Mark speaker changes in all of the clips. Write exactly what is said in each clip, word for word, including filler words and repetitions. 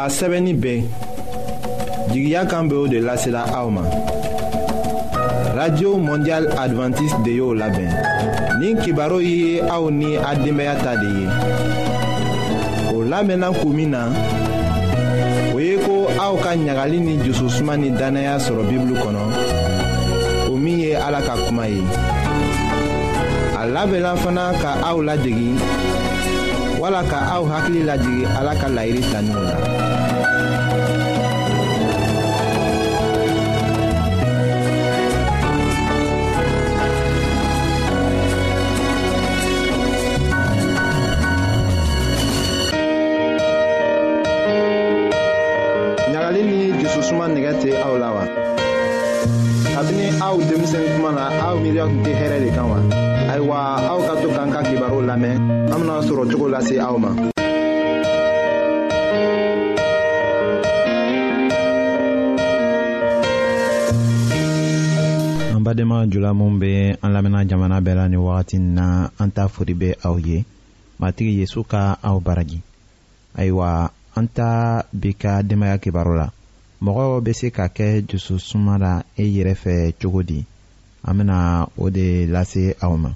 Speaker 1: A sɛbɛnni bɛ jigiya kan bɛ o de lasela aw ma. Radio Mondiale Adventiste de y'o labɛn. Nin kibaru ye aw ni a denbaya ta de ye. O lamɛnna kun min na, o ye ko aw ka ɲagali ni jususuma ni dannaya sɔrɔ Bibulu kɔnɔ, o min ye Ala ka kuma ye. A labɛnna fana ka aw ladegi wala ka aw hakili lajigin Ala ka layiru taniw la. Ɲagali ni jususuma nɛgɛ tɛ aw la wa? Kabini aw denmisɛn kuma na, aw miiriya tun tɛ hɛrɛ de kan wa? Ayiwa, aw ka to k'an ka kibaru lamɛn, an bɛna sɔrɔ cogo lase aw ma.
Speaker 2: An badenma jula minw bɛ an lamɛnna jamana bɛɛ la nin wagati in na, an ta foli bɛ aw ye. Matigi Yesu ka aw baraji. Ayiwa, an ta bi ka denbaya kibaru la. Mɔgɔ bɛ se ka kɛ dususuma la e yɛrɛ fɛ cogo di? An bɛna o de lase aw ma.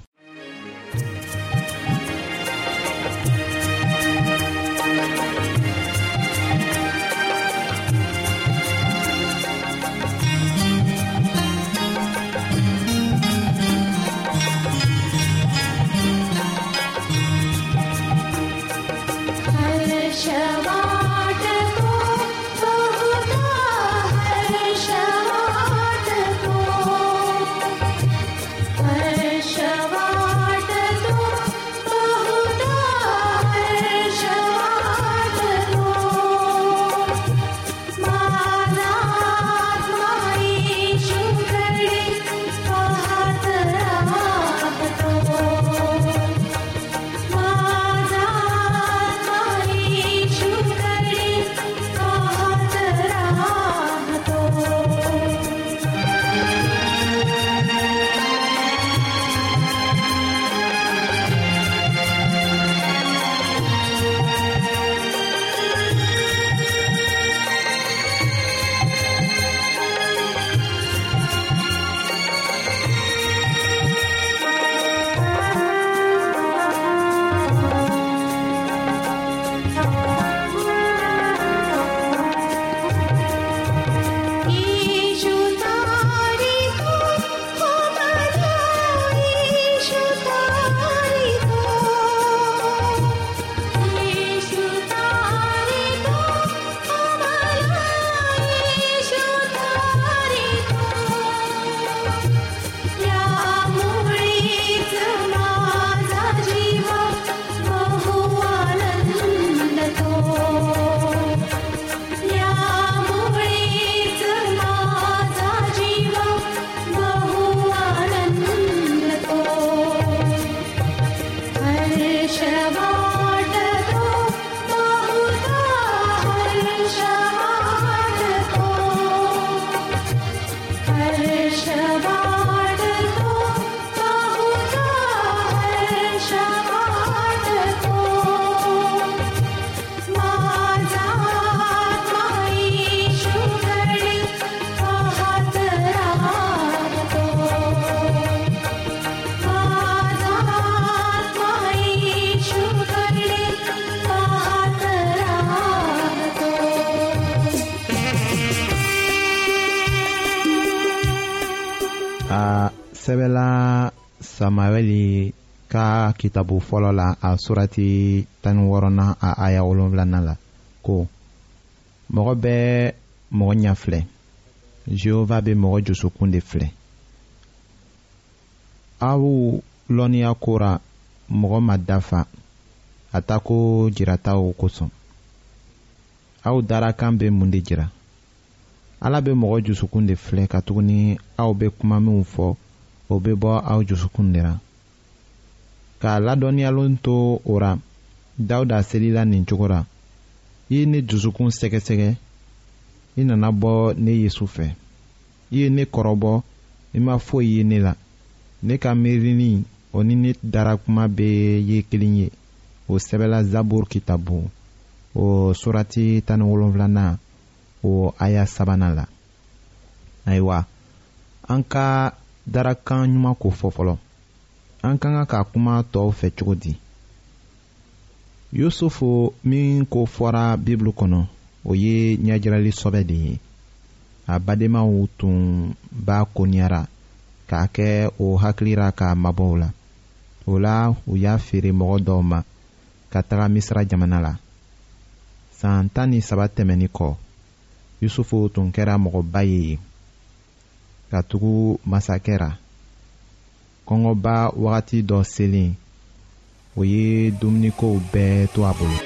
Speaker 2: A sɛbɛla Samuɛli ka kitabu fɔlɔ la, a surati tan ni wɔɔrɔnan a aya wolonwulanan la ko mɔgɔ bɛ mɔgɔ ɲɛ filɛ, Jehova bɛ mɔgɔ dusukun de filɛ. Aw lɔnniya ko ra mɔgɔ ma dafa a ta ko jirataw kosɔn. Aw darakan bɛ mun de jira? Ala bɛ mɔgɔ dusukun de filɛ, katuguni aw bɛ kuma minw fɔ, o bɛ bɔ aw dusukun de la. K'a ladɔnniyalen to o ra, Dawuda selila nin cogo la: i ye ne dusukun sɛgɛsɛgɛ, i nana bɔ ne Yesu fɛ. I ye ne kɔrɔbɔ, i ma foyi ye ne la. Ne ka miirili o ni ne dara kuma bɛɛ ye kelen ye. O sɛbɛla Zaburu kitabu o surati tan ni wolonfilanan o aya sabanan la. Ayiwa, an ka darakan ɲuman ko fɔ fɔlɔ. An ka kan ka kuma tɔw fɛ cogo di? Yusufu min ko fɔra Bibulu kɔnɔ, o ye ɲɛjirali sɔbɛ de ye. A badenmaw tun b'a koniyara k'a kɛ o hakili ra k'a mabɔ o la. O la, u y'a feere mɔgɔ dɔw ma ka taga Misira jamana la. San tan ni saba tɛmɛnin kɔ, Yusufu tun kɛra mɔgɔba ye yen, ka tugu masakɛ ra. Kɔngɔba wagati dɔ selen, o ye dumunikow bɛɛ to a bolo.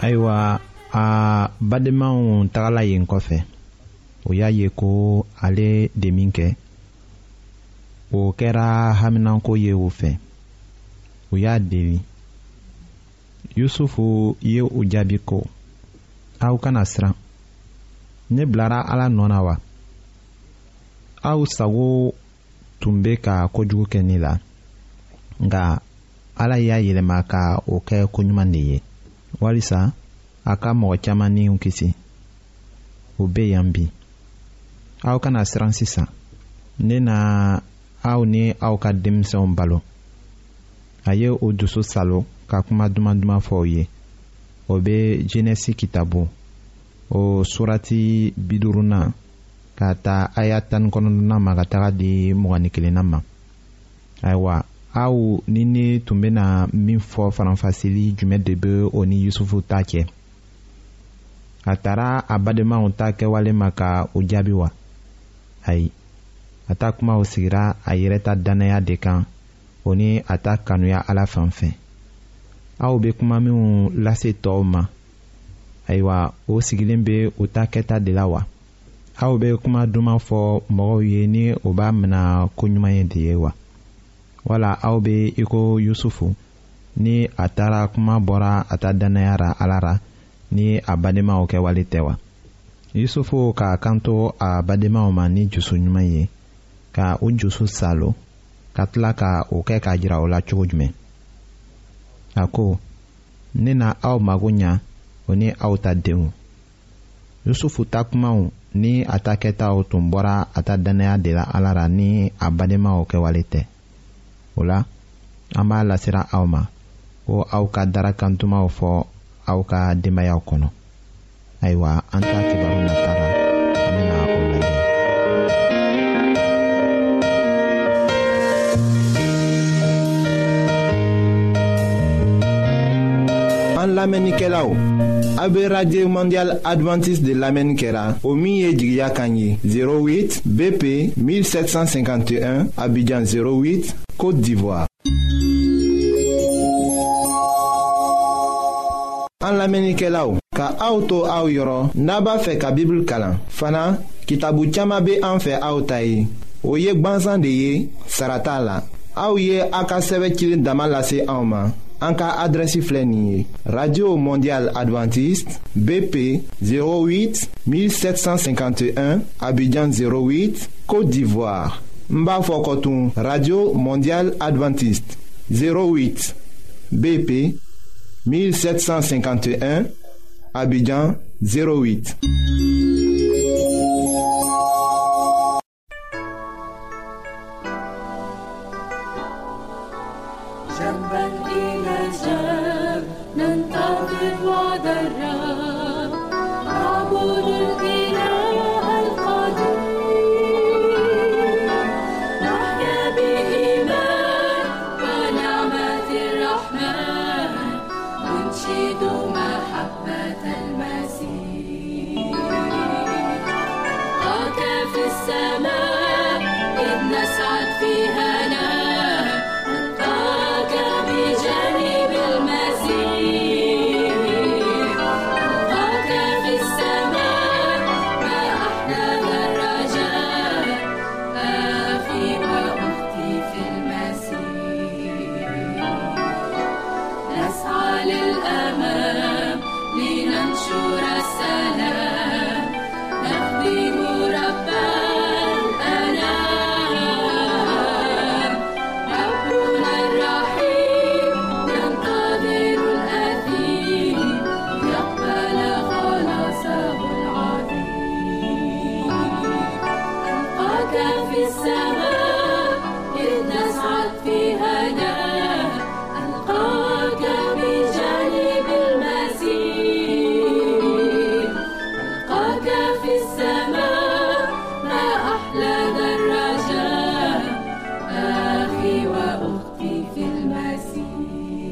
Speaker 2: Ayiwa, a badenmaw tagala yen kɔfɛ, o y'a ye ko ale de min kɛ, o kɛra haminanko ye o fɛ. U y'a deli. Yusufu ye u jaabi ko, aw kana siran. Ne bilara Ala nɔ na wa? Aw sago tun bɛ ka kojugu kɛ ne la, nka Ala y'a yɛlɛma ka o kɛ koɲuman de ye, walisa A ka mɔgɔ caman niw kisi. O bɛ yan bi. Aw kana siran sisan. Ne na aw ni aw ka denmisɛnw balo. A ye o dusu salo ka kuma duman duman fɔ o ye. O bɛ Genesi kitabu o surati bi duurunan ka ta aya tan ni kɔnɔntɔnnan ma ka taga di mugan ni kelennan ma. Ayiwa, aw ni ne tun bɛna min fɔ faranfasili jumɛn de bɛ o ni Yusufu ta cɛ? A taara a badenmaw ta kɛwale ma ka o jaabi wa? Ayi, a ta kumaw sigira a yɛrɛ ta dannaya de kan, o ni a ta kanuya Ala fan fɛ. Aw bɛ kuma minw lase tɔw ma, ayiwa, o sigilen bɛ u ta kɛta de la wa? Aw bɛ kuma duman fɔ mɔgɔw ye ni o b'a mina ko ɲuman ye de ye wa? Wala aw bɛ i ko Yusufu ni a taara kuma bɔra a ta dannaya ra Ala ra ni a badenmaw kɛwale tɛ wa? Yusufu k'a kanto a badenmaw ma ni jusu ɲuman ye, ka u jusu salo, ka tila ka o kɛ k'a jira o la cogo jumɛn? A ko, ne na aw mago ɲa, o ni aw ta denw. Yusufu ta kumaw ni a ta kɛtaw tun bɔra a ta dannaya de la Ala ra ni a badenmaw kɛwale tɛ. O la, an b'a lasira aw ma ko aw ka darakan dumanw fɔ aw ka denbayaw kɔnɔ. Ayiwa, an ta kibaru nata la, an bɛna o lajɛ.
Speaker 1: An lamɛnnikɛlaw, a bɛ Radio Mondiale Adventiste de lamɛnni kɛra, o min ye jigiya kan ye zéro huit B P mille sept cent cinquante et un Abidjan zéro huit Côte d'Ivoire. An lamɛnnikɛlaw, ka aw to aw yɔrɔ n'a b'a fɛ ka Bible kalan fana, kitabu caman bɛ an fɛ aw ta ye. O ye gbansan de ye, sara t'a la. Aw ye a ka sɛbɛn cilen dama lase anw ma. An ka adresse filɛ nin ye: Radio Mondiale Adventiste B P zéro huit mille sept cent cinquante et un Abidjan zéro huit Côte d'Ivoire. N b'a fɔ kɔtun, Radio Mondiale Adventiste zéro huit B P mille sept cent cinquante et un Abidjan zéro huit.
Speaker 3: جنبا إلى جنب ننتظر وعد الرب، نعبد الإله القدير، نحيا بإيمان ونعمة الرحمن، ننشد محبة المسيح. ألقاك في السماء إذ نسعد في هنا، بجانب المسيح. ألقاك في السماء ما أحلى ذا الرجاء، أخي وأختي في المسيح. نسعى للأمام لننشر السلام، نخدم رب الأنام، ربنا الرحيم ينتظر الأثيم يقبل خلاصه العظيم. ألقاك في السماء إذ نسعد في هنا، ألقاك بجانب المسيح. ألقاك في السماء ما أحلى ذا الرجاء، أخي وأختي في المسيح،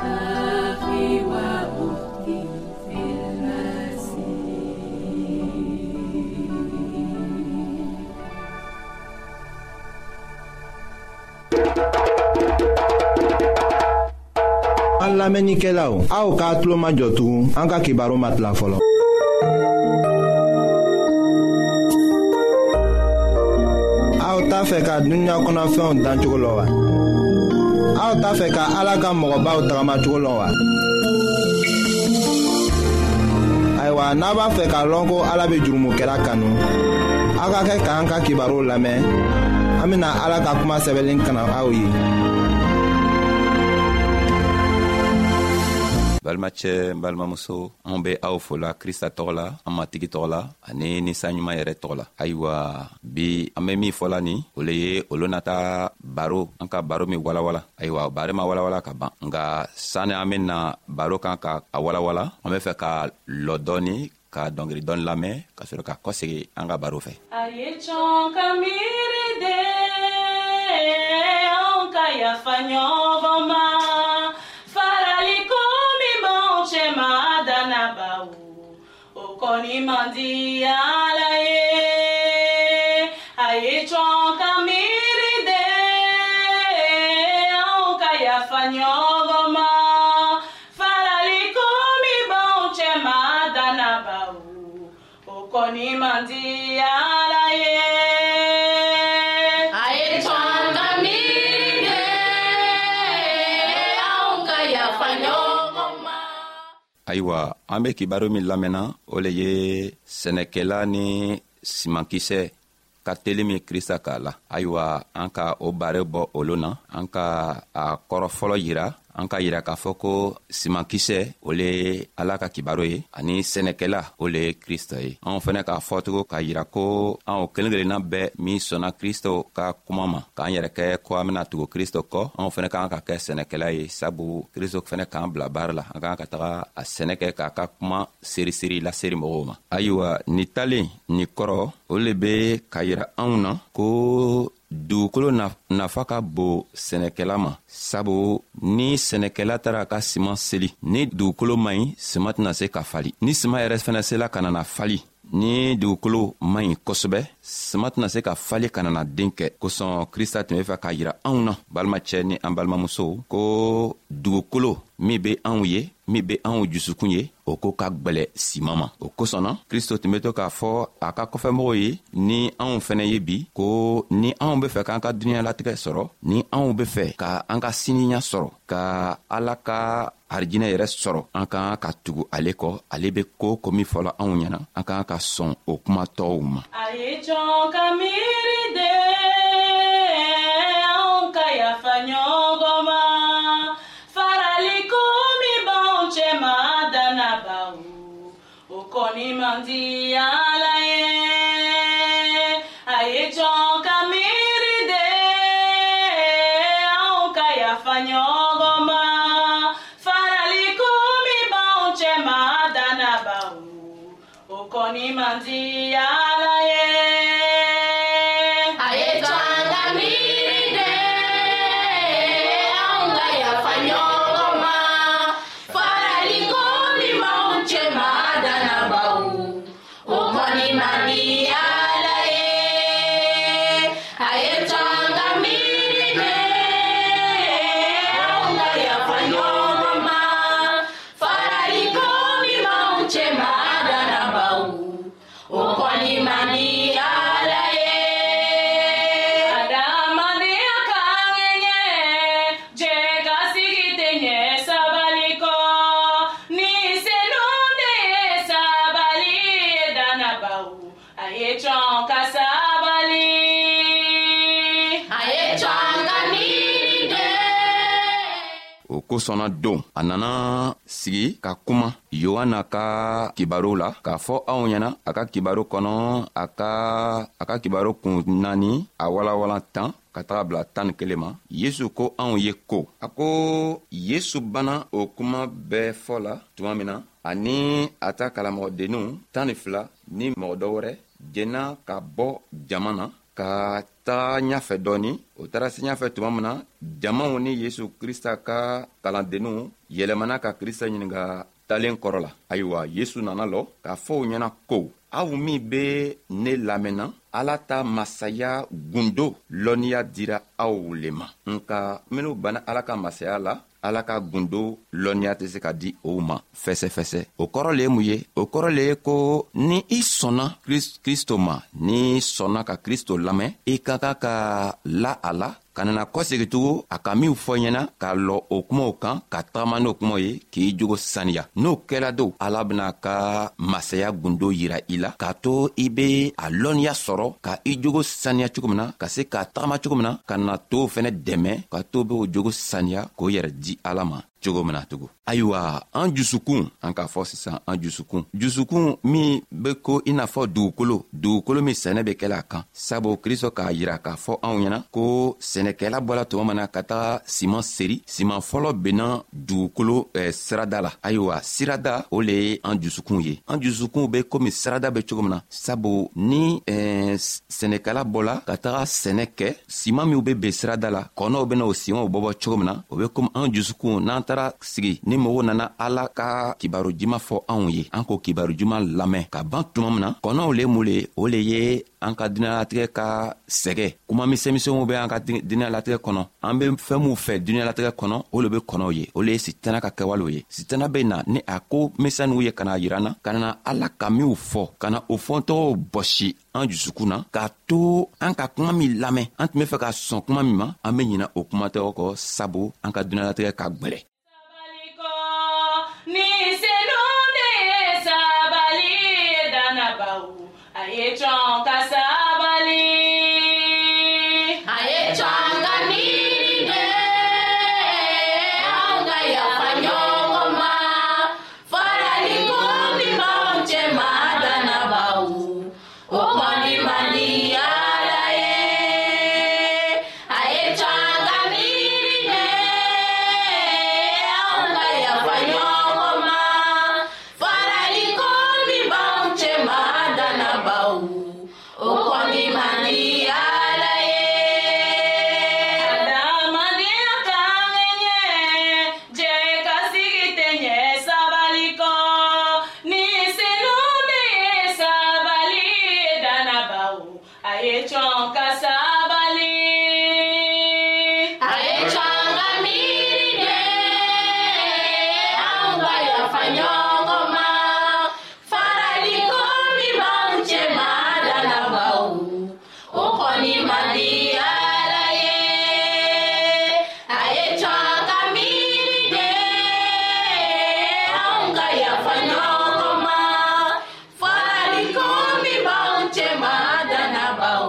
Speaker 3: أخي وأختي في المسيح.
Speaker 1: An lamɛnnikɛlaw, aw k'a tulo majɔ tugun, an ka kibaru ma tila fɔlɔ. Aw t'a fɛ ka dunuya kɔnɔfɛnw dancogo lɔn wa? Aw t'a fɛ ka Ala ka mɔgɔbaw tagamacogo lɔn wa? Ayiwa, n'a b'a fɛ k'a lɔn ko Ala bɛ jurumukɛla kanu, aw ka kɛ k'an ka kibaruw lamɛn. An bɛna Ala ka kuma sɛbɛnlen kalan aw ye.
Speaker 4: Balimacɛ, balimamuso, anw be aw fola Krista tɔgɔ la, an Matigi tɔgɔ la, ani ninsanɲuman yɛrɛ tɔgɔ la. Ayiwa, bi an be min fɔla nin, o le ye olu nata baro, an ka baro min walawala. Ayiwa, baro ma walawala ka ban, nka sani an bena baro kan ka a walawala, an be fɛ ka lɔ dɔɔni, ka dɔngeri dɔɔni lamɛn, ka sɔrɔ ka kɔsegi an ka baro fɛ.
Speaker 3: A ye cɔn ka miiri de, anw ka yafa ɲɔgɔn ma. Farali ko min b'anw cɛ ma dannabaw, o kɔni man di Ala ye. A ye cɔn ka miiri de, anw ka yafa ɲɔgɔn ma. Farali ko min b'anw cɛ ma dannabaw, o kɔni man di Ala ye.
Speaker 5: A ye cɔn ka miiri de, anw ka yafa ɲɔgɔn ma.
Speaker 4: Ayiwa, an be kibaru min lamɛnna, o le ye sɛnɛkɛla ni simankisɛ ka teli min Krista k'a la. Ayiwa, an ka o bare bɔ olu na, an ka a kɔrɔ fɔlɔ yira, an ka yira k'a fɔ ko simankisɛ o le ye Ala ka kibaru ye, ani sɛnɛkɛla o le ye Krista ye. Anw fɛnɛ k'a fɔ tugun k'a yira ko anw kelen kelenna bɛɛ min sɔnna Kristo ka kuma ma, k'an yɛrɛ kɛ ko an bena tugu Kristo kɔ, anw fɛnɛ k'an ka kɛ sɛnɛkɛla ye, sabu Kristo fɛnɛ k'an bila baara la, an k'an ka taga a sɛnɛ kɛ k'a ka kuma seriseri laseri mɔgɔw ma. Ayiwa, nin talen nin kɔrɔ, o le be k'a yira anw na ko dugukolo nafa ka bon sɛnɛkɛla ma, sabu ni sɛnɛkɛla taara a ka siman seli, ni dugukolo man ɲi, siman tɛna se ka fali. Ni siman yɛrɛ fɛnɛ sela ka nana fali, ni dugukolo man ɲi kosɛbɛ, siman tɛna se ka fali ka nana den kɛ. Kosɔn Krista tun be fɛ k'a yira anw na, balimacɛ ni an balimamusow, ko dugukolo min be anw ye, min be anw jusukun ye, o ko ka gwɛlɛ siman ma. O kosɔn na Kristo tun be to k'a fɔ a ka kɔfɛmɔgɔw ye ni anw fɛnɛ ye bi, ko ni anw be fɛ k'an ka dunuɲalatigɛ sɔrɔ, ni anw be fɛ ka an ka siniɲa sɔrɔ, ka Ala ka arijinɛ yɛrɛ sɔrɔ, an ka kan ka tugu ale kɔ. Ale be ko ko min fɔla anw ɲɛna, an ka kan ka sɔn o kuma tɔw ma.
Speaker 3: A ye cɔn ka miiri de, anw ka yafa ɲɔgɔn ma. Farali ko min b'anw cɛ ma dannabaw, o kɔni man di Ala ye. A ye cɔn ka miiri de, anw ka yafa ɲɔgɔn ma. Farali ko min b'anw cɛ ma dannabaw, o kɔni man di Ala ye.
Speaker 5: A ye cɔn ka miiri de, anw ka yafa ɲɔgɔn ma. Farali ko min b'anw cɛ ma dannabaw, o kɔni man di Ala ye. A ye cɔn ka miiri de, anw ka yafa ɲɔgɔn ma. Farali ko min b'anw cɛ ma dannabaw, o kɔni man di Ala ye.
Speaker 3: Adamadenya ka ŋɛɲɛ, jɛ ka sigi tɛ ɲɛ sabali kɔ. Ni senu de ye sabali ye dannabaw, a ye cɔn ka sabali.
Speaker 5: A ye cɔn ka miiri de.
Speaker 4: O kosɔnna don a nana sigi ka kuma Yohana ka kibaru la, k'a fɔ anw ɲɛna a ka kibaru kɔnɔ, a ka a ka kibaru kun naani, a walawala tan ka taga bila tan ni kelen ma. Yesu ko anw ye ko, a ko Yesu banna o kuma bɛɛ fɔ la tuma min na, ani a ta kalamɔgɔdenninw tan ni fila ni mɔgɔ dɔ wɛrɛ jɛnna ka bɔ jama na ka taga ɲafɛ dɔɔni. O taara se ɲafɛ tuma min na, jamaw ni Yesu Krista ka kalandenninw yɛlɛmana ka Krista ɲininka talen kɔrɔ la. Ayiwa, Yesu nana lɔ k'a fɔ u ɲɛna ko, aw min be ne lamɛnna, Ala ta masaya gundo lɔnniya dira aw le ma, nka minw banna Ala ka masaya la, Ala ka gundo lɔnniya tɛ se ka di o ma fɛsɛfɛsɛ. O kɔrɔ le ye mun ye? O kɔrɔ le ye ko ni i sɔnna Kristo ma, ni sɔnna ka Kristo lamɛn, i ka kan ka la a la, ka nana kɔsegi tugun a ka min fɔ ɲɛna, ka lɔ o kumaw kan, ka tagama n'o kumaw ye, k'i jogo saniya. N'o kɛla don, Ala bena ka masaya gundo yira i la, k'a to i be a lɔnniya sɔrɔ ka i jogo saniya cogo min na, ka se ka tagama cogo min na, ka na tow fɛnɛ dɛmɛ ka to be o jogo saniya k'o yɛrɛ di Ala ma. cogo min na tugun. Ayiwa, an jusukun, an k'a fɔ sisan, an jusukun jusukun min be ko i n'a fɔ dugukolo, dugukolo min sɛnɛ be kɛla a kan. Sabu Kristo k'a yira k'a fɔ anw ɲɛna ko sɛnɛkɛla bɔla tuma min na ka taga siman seri, siman fɔlɔ benna dugukolo eh, sirada la. Ayiwa, sirada o le ye an jusukun ye. An jusukun be komi sirada be cogo min na. Sabu ni eh, sɛnɛkɛla bɔla ka taga sɛnɛ kɛ, siman minw be ben sirada la, kɔnɔw bena o simanw bɔbɔ cogo min na, o be komi an jusukun n'an taara sigi ni mɔgɔw nana Ala ka kibaru juman fɔ anw ye, an k'o kibaru juman lamɛn ka ban tuma min na, kɔnɔw le mun le, o le ye an ka diɲɛlatigɛ ka sɛgɛ kuma misɛnmisɛnw bɛ an ka diɲɛlatigɛ kɔnɔ. An be fɛn minw fɛ diɲɛlatigɛ kɔnɔ, o le be kɔnɔw ye, o le ye sitana ka kɛwalew ye. Sitana be na ni a ko misɛnninw ye ka na yira na, ka na Ala ka minw fɔ, ka na o fɔntɔgɔw bɔsi an jusukun na, k'a to an ka kuma min lamɛn, an tun be fɛ ka sɔn kuma min ma, an be ɲina o kuma tɔgɔ kɔ, sabu an ka diɲɛlatigɛ ka gwɛlɛ.
Speaker 3: Ni senu de ye sabali ye dannabaw, a ye cɔn ka sabali.
Speaker 5: A ye cɔn ka miiri de, anw ka yafa ɲɔgɔn ma. Farali ko min b'anw cɛ ma dannabaw, o kɔni man di Ala ye. A ye cɔn ka miiri de, anw ka yafa ɲɔgɔn ma. Farali ko min b'anw cɛ ma dannabaw, o kɔni man di Ala ye.
Speaker 3: Adamadenya kan ɲɛ, jɛ ka sigi tɛ ɲɛ sabali kɔ. Ni senu de ye sabali ye dannabaw, a ye cɔn ka sabali.
Speaker 5: A ye cɔn ka miiri de, anw ka yafa ɲɔgɔn ma. Farali ko min b'anw cɛ ma dannabaw, o kɔni man di Ala ye. A ye cɔn ka miiri de, anw ka yafa ɲɔgɔn ma. Farali ko min b'anw cɛ ma dannabaw,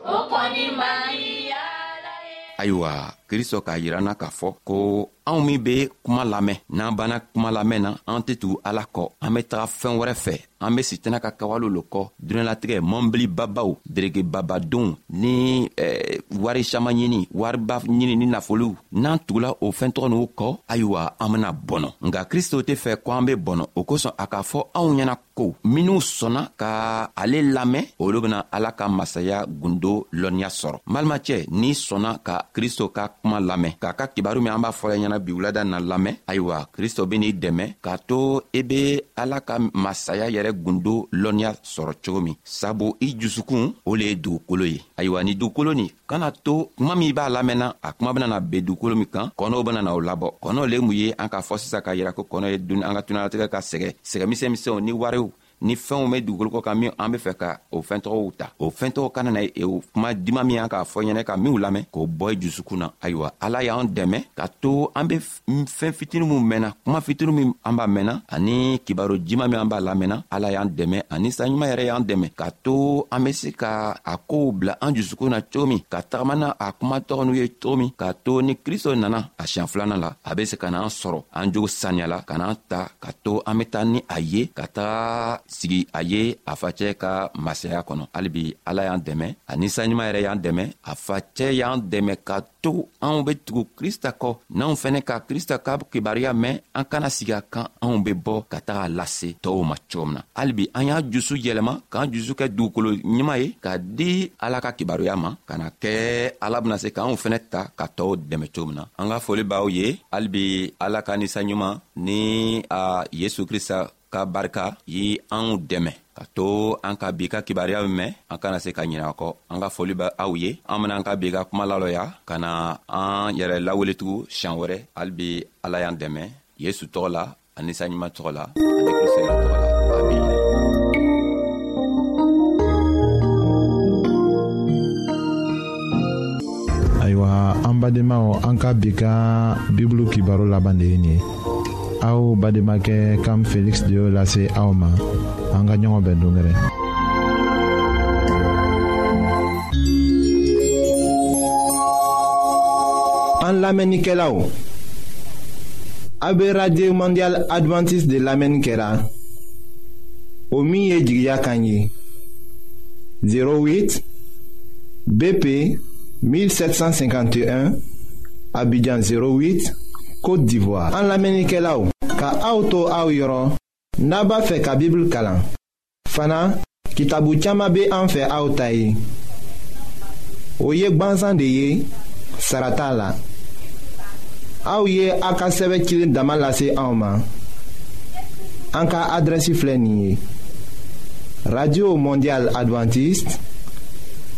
Speaker 5: o kɔni man di Ala ye.
Speaker 4: Ayiwa, Kristo k'a yira na k'a fɔ ko anw min be kuma lamɛn, n'an banna kuma lamɛn na, an tɛ tugu Ala kɔ, an be taga fɛn wɛrɛ fɛ, an be sitana ka kawalew lo kɔ, diɲɛlatigɛ mɔnbili babaw, derege babadenw ni eh, wari saman ɲini, wariba ɲini ni nafolow, n'an tugula o fɛn tɔgɔ n'u kɔ, ayiwa, an bena bɔnɔ. Nka Kristo tɛ fɛ ko an be bɔnɔ, o kosɔn a k'a fɔ anw ɲɛna ko minw sɔnna ka ale lamɛn, olu bena Ala ka masaya gundo lɔnniya sɔrɔ. N balimacɛ, n'i sɔnna ka Kristo ka kuma lamɛn, k'a ka kibaru min an b'a fɔla ɲɛna bi wulada na lamɛn, ayiwa, Kristo ben'i dɛmɛ k'a to i be Ala ka masaya yɛrɛ gundo lɔnniya sɔrɔ cogo min. Sabu i jusukun o le ye dugukolo ye. Ayiwa, ni dugukolo nin kana to kuma min b'a lamɛnna, a kuma bena na ben dugukolo min kan, kɔnɔw bena na o labɔ. Kɔnɔw le mun ye, an k'a fɔ sisan k'a yira ko kɔnɔ ye dun an ka tunalatigɛ ka sɛgɛ sɛgɛ misɛnmisɛnw ni wariw ni fɛnw bɛ dugukolo kɔ kan min an be fɛ ka o fɛn tɔgɔw ta, o fɛn tɔgɔ kana na o kuma dima min an k'a fɔ ɲɛnɛ ka minw lamɛn k'o bɔ i jusukun na. Ayiwa, Ala y'an dɛmɛ ka to an be fɛn fitini min mɛnna, kuma fitini min an b'a mɛnna, ani kibaru jima min an b'a lamɛnna, Ala y'an dɛmɛ ani saɲuman yɛrɛ y'an dɛmɛ ka to an be se ka a kow bila an jusukun na cogo min, ka tagama na a kuma tɔgɔ n'u ye cogo min, ka to ni Kristo nana a siɲɛ filanan la, a be se ka n'an sɔrɔ an jogo saniya la, ka n'an ta ka to an be taa ni a ye ka taga sigi a ye a facɛ ka masaya kɔnɔ. Halibi Ala y'an dɛmɛ ani saɲuman yɛrɛ y'an dɛmɛ, a facɛ y'an dɛmɛ ka to anw be tugu Krista kɔ. N'anw fɛnɛ ka Krista ka kibaruya mɛn, an kana sigi a kan, anw be bɔ ka taga lase tɔɔw ma cogo min na. Halibi an y'a jusu yɛlɛma k'an jusu kɛ dugukolo ɲuman ye ka di Ala ka kibaruya ma, ka na kɛ Ala bena se k'anw fɛnɛ ta ka tɔɔw dɛmɛ cogo min na. An ka foli b'aw ye. Halibi Ala ka ninsanɲuman ni a Yesu Krista ka barika ye anw dɛmɛ ka to an ka bi ka kibaruya mɛn, an kana se ka ɲinɛ a kɔ. An ka foli bɛ aw ye. An bena an ka bi ka kuma lalɔya ka na an yɛrɛ laweletugu siɲan wɛrɛ. Halibi Ala y'an dɛmɛ Yesu tɔgɔ la, ani saɲuman tɔgɔ la, ani Kristo yɛrɛ tɔgɔ la. Amina.
Speaker 2: Ayiwa, an badenmaw, an ka bi ka Bibulu kibaru laban de ye nin ye. Aw badenmakɛ Kam Felix de y'o lase aw ma. An ka ɲɔgɔn bɛn don wɛrɛ.
Speaker 1: An lamɛnnikɛlaw, A bɛ Radio Mondiale Adventiste de lamɛnni kɛra, o min ye jigiya kan ye. zéro huit B P mille sept cent cinquante et un Abidjan zéro huit Côte d'Ivoire. An lamɛnnikɛlaw, ka aw to aw yɔrɔ, n'a b'a fɛ ka Bible kalan fana, kitabu caman bɛ an fɛ aw ta ye. O ye gbansan de ye, sara t'a la. Aw ye a ka sɛbɛn cilen dama lase anw ma. An ka adrɛsi filɛ nin ye: Radio Mondiale Adventiste,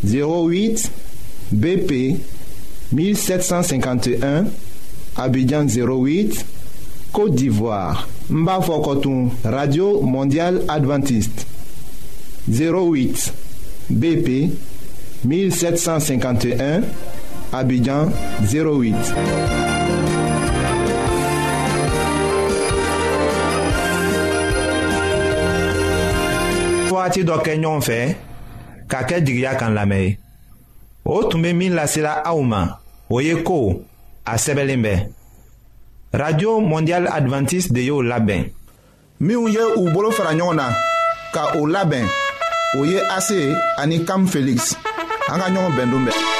Speaker 1: zéro huit B P mille sept cent cinquante et un Abidjan zéro huit Côte d'Ivoire. N b'a fɔ kɔtun, Radio Mondiale Adventiste, zéro huit B P mille sept cent cinquante et un Abidjan zéro huit. Waati dɔ kɛ ɲɔgɔn fɛ ka kɛ jigiya kan lamɛn ye. O tun bɛ min lasela aw ma, o ye ko a sɛbɛnlen bɛ. Radio Mondiale Adventiste de y'o labɛn.
Speaker 6: Minnu ye u bolo fara ɲɔgɔn na ka o labɛn, o ye A C ani Kam Felix. An ka ɲɔgɔn bɛn don bɛɛ.